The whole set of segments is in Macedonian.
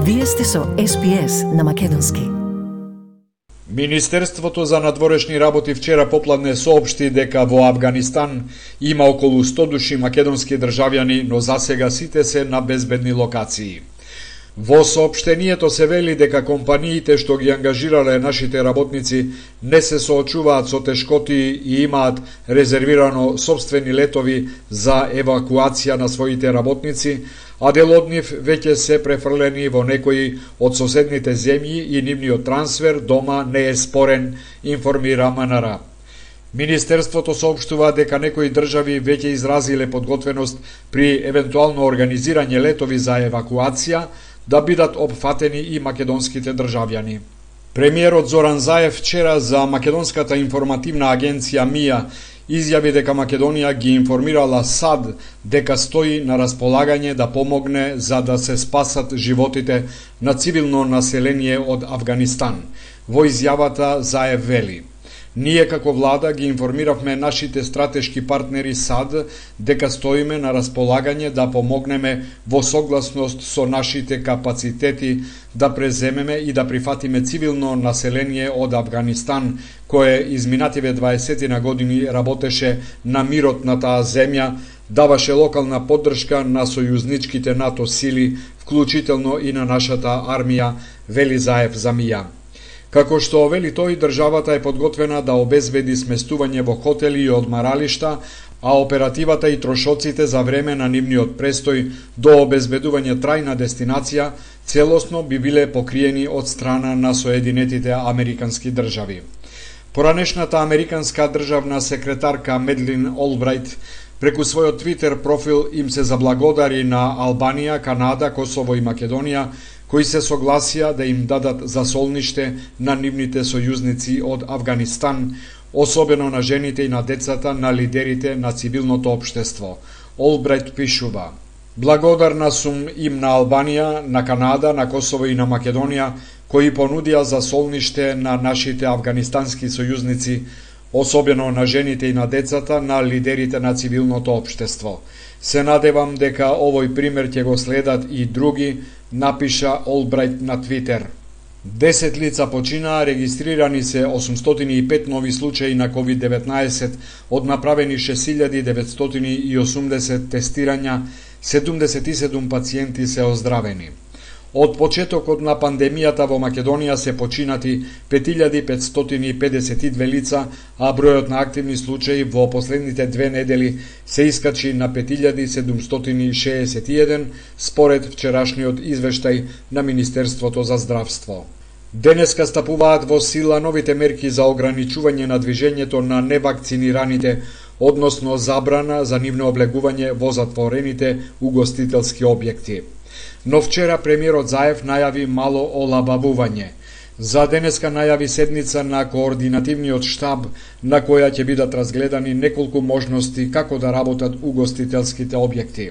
Вие сте со SPS на македонски. Министерството за надворешни работи вчера попладне соопшти дека во Авганистан има околу 100 души македонски државјани, но засега сите се на безбедни локации. Во соопштението се вели дека компаниите што ги ангажирале нашите работници не се соочуваат со тешкоти и имаат резервирано собствени летови за евакуација на своите работници, а дел од нив веќе се префрлени во некои од соседните земји и нивниот трансфер дома не е спорен, информира МНР. Министерството соопштува дека некои држави веќе изразиле подготвеност при евентуално организирање летови за евакуација да бидат опфатени и македонските државјани. Премиерот Зоран Заев вчера за македонската информативна агенција МИА изјави дека Македонија ги информирала САД дека стои на располагање да помогне за да се спасат животите на цивилно население од Авганистан. Во изјавата Заев вели: "Ние како влада ги информиравме нашите стратешки партнери САД дека стоиме на располагање да помогнеме во согласност со нашите капацитети да преземеме и да прифатиме цивилно население од Авганистан, кое изминативе 20 години работеше на мирот на таа земја, даваше локална поддршка на сојузничките НАТО сили, вклучително и на нашата армија", вели Заев за МИА. Како што вели тој, државата е подготвена да обезбеди сместување во хотели и одмаралишта, а оперативата и трошоците за време на нивниот престој до обезбедување трајна дестинација целосно би биле покриени од страна на Соединетите Американски држави. Поранешната американска државна секретарка Медлин Олбрајт преку својот Твитер профил им се заблагодари на Албанија, Канада, Косово и Македонија, кои се согласија да им дадат засолниште на нивните сојузници од Авганистан, особено на жените и на децата на лидерите на цивилното општество. Олбрајт пишува: "Благодарна сум им на Албанија, на Канада, на Косово и на Македонија, кои понудија засолниште на нашите афганистански сојузници, особено на жените и на децата на лидерите на цивилното општество. Се надевам дека овој пример ќе го следат и други", напиша Олбрајт на Твитер. 10 лица починаа, регистрирани се 805 нови случаи на COVID-19, од направени 6980 тестирања, 77 пациенти се оздравени. Од почетокот на пандемијата во Македонија се починати 5552 лица, а бројот на активни случаи во последните 2 недели се искачи на 5761 според вчерашниот извештај на Министерството за здравство. Денеска стапуваат во сила новите мерки за ограничување на движењето на невакцинираните, односно забрана за нивно облегување во затворените угостителски објекти. Но вчера премиерот Заев најави мало олабавување. За денеска најави седница на координативниот штаб, на која ќе бидат разгледани неколку можности како да работат угостителските објекти.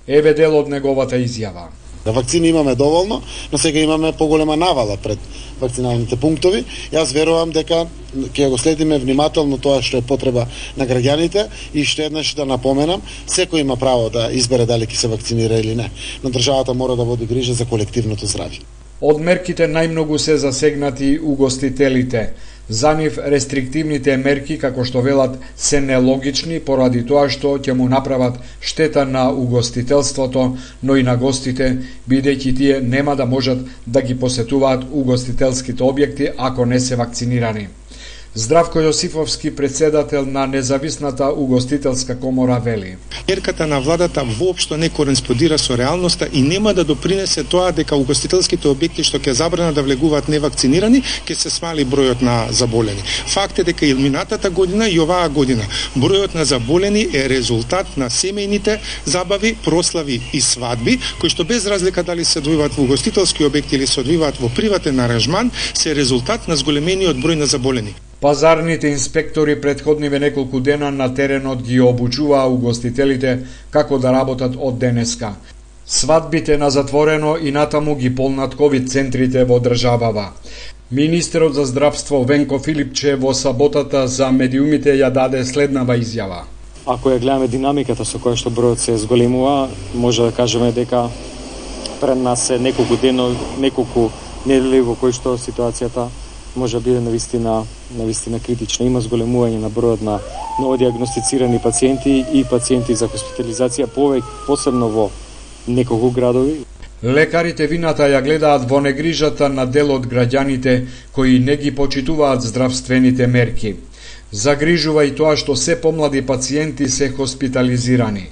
Еве дел од неговата изјава. Да вакцини имаме доволно, но сега имаме поголема навала пред вакциналните пунктови. Јас верувам дека ќе го следиме внимателно тоа што е потреба на граѓаните и што еднаш да напоменам, секој има право да избере дали ќе се вакцинира или не, но државата мора да води грижа за колективното здравје. Од мерките најмногу се засегнати угостителите. За нив рестриктивните мерки, како што велат, се нелогични поради тоа што ќе му направат штета на угостителството, но и на гостите, бидејќи тие нема да можат да ги посетуваат угостителските објекти ако не се вакцинирани. Здравко Јосифовски, председател на Независната угостителска комора, вели: "Мерката на владата воопшто не кореспондира со реалноста и нема да допринесе тоа дека угостителските објекти што ќе забранат да влегуваат невакцинирани, ќе се смали бројот на заболени. Факт е дека и минатата година и оваа година бројот на заболени е резултат на семејните забави, прослави и свадби, кои што без разлика дали се одвиваат во угостителски објекти или се одвиваат во приватен аранжман, се резултат на зголемениот број на заболени." Пазарните инспектори претходниве неколку дена на теренот ги обучуваа угостителите како да работат од денеска. Свадбите на затворено и натаму ги полнат ковид центрите во државава. Министерот за здравство Венко Филипче во саботата за медиумите ја даде следнава изјава. Ако ја гледаме динамиката со која што бројот се зголемува, може да кажеме дека пред нас е неколку дено, неколку недели во кои што ситуацијата може да биде навистина критична. Има зголемување на бројот на новодиагностицирани пациенти и пациенти за хоспитализација, посебно во неколку градови. Лекарите вината ја гледаат во негрижата на дел од граѓаните кои не ги почитуваат здравствените мерки. Загрижува и тоа што се помлади пациенти се хоспитализирани.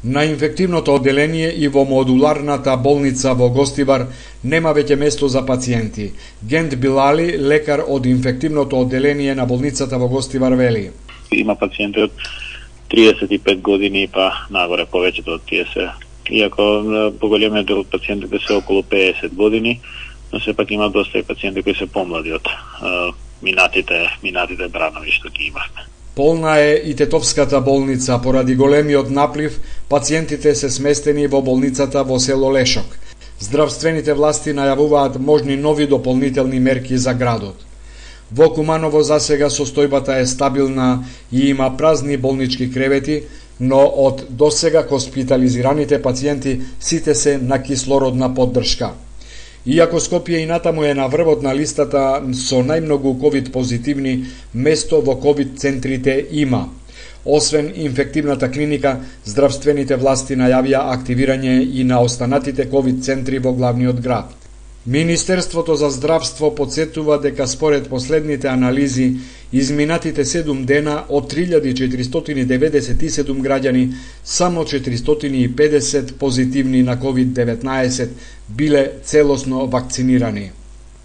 На инфективното одделение и во модуларната болница во Гостивар нема веќе место за пациенти. Гент Билали, лекар од инфективното одделение на болницата во Гостивар, вели: Има пациенти од 35 години па нагоре, повеќето од тие се. Иако поголемиот дел од пациентите се околу 50 години, но сепак има доста и пациенти кои се помлади од минатите бранови што ги имавме. Полна е и Тетовската болница. Поради големиот наплив, пациентите се сместени во болницата во село Лешок. Здравствените власти најавуваат можни нови дополнителни мерки за градот. Во Куманово засега состојбата е стабилна и има празни болнички кревети, но од досега хоспитализираните пациенти сите се на кислородна поддршка. Иако Скопје и натаму е на врвот на листата со најмногу ковид позитивни, место во ковид центрите има. Освен инфективната клиника, здравствените власти најавија активирање и на останатите ковид центри во главниот град. Министерството за здравство подсетува дека според последните анализи, изминатите 7 дена од 3497 граѓани, само 450 позитивни на COVID-19 биле целосно вакцинирани.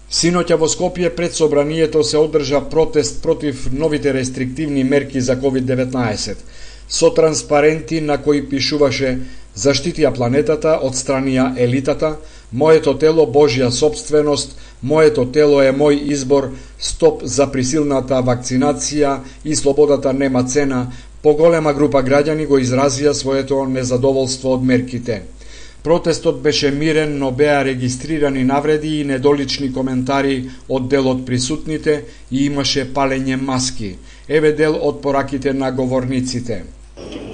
Синоќа во Скопје пред собранието се одржа протест против новите рестриктивни мерки за COVID-19, со транспаренти на кои пишуваше "Заштитија планетата, отстранија елитата", "Моето тело Божја собственост", "Моето тело е мој избор", "Стоп за присилната вакцинација" и "Слободата нема цена". Поголема група граѓани го изразија своето незадоволство од мерките. Протестот беше мирен, но беа регистрирани навреди и недолични коментари од дел од присутните и имаше палење маски. Еве дел од пораките на говорниците.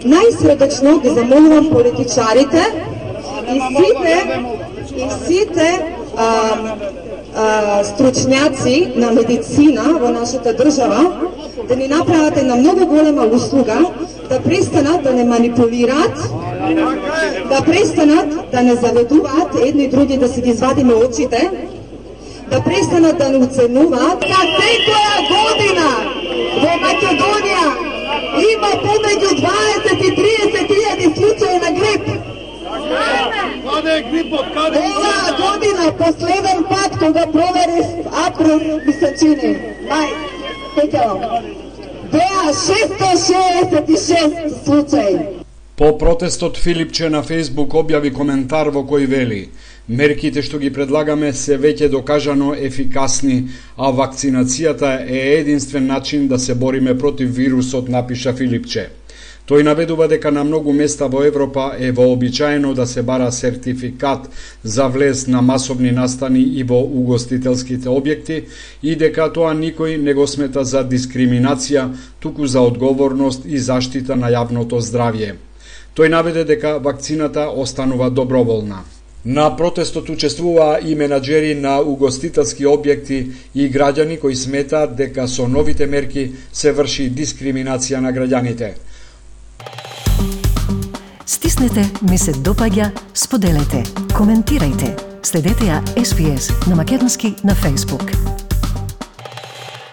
Најсредечно ги замолувам политичарите и сите стручњаци на медицина во нашата држава да ни направат една многу голема услуга, да престанат да не манипулираат, да престанат да не заведуваат едни и други да си ги извадиме очите, да престанат да не уценуваат. На секоја година во Македонија има помеѓу 20 и 30 илјади случаи на грип. Оваа година, последен пат, кога проверив април, ми се чини, беа 666 случаи. По протестот Филипче на Фејсбук објави коментар во кој вели: "Мерките што ги предлагаме се веќе докажано ефикасни, а вакцинацијата е единствен начин да се бориме против вирусот", напиша Филипче. Тој наведува дека на многу места во Европа е вообичаено да се бара сертификат за влез на масовни настани и во угостителските објекти и дека тоа никој не го смета за дискриминација, туку за одговорност и заштита на јавното здравје. Тој наведе дека вакцината останува доброволна. На протестот учествуваа и менаџери на угостителски објекти и граѓани кои сметаат дека со новите мерки се врши дискриминација на граѓаните. Стиснете, ми се допаѓа, споделете, коментирајте. Следете ја SPS на Македонски на Facebook.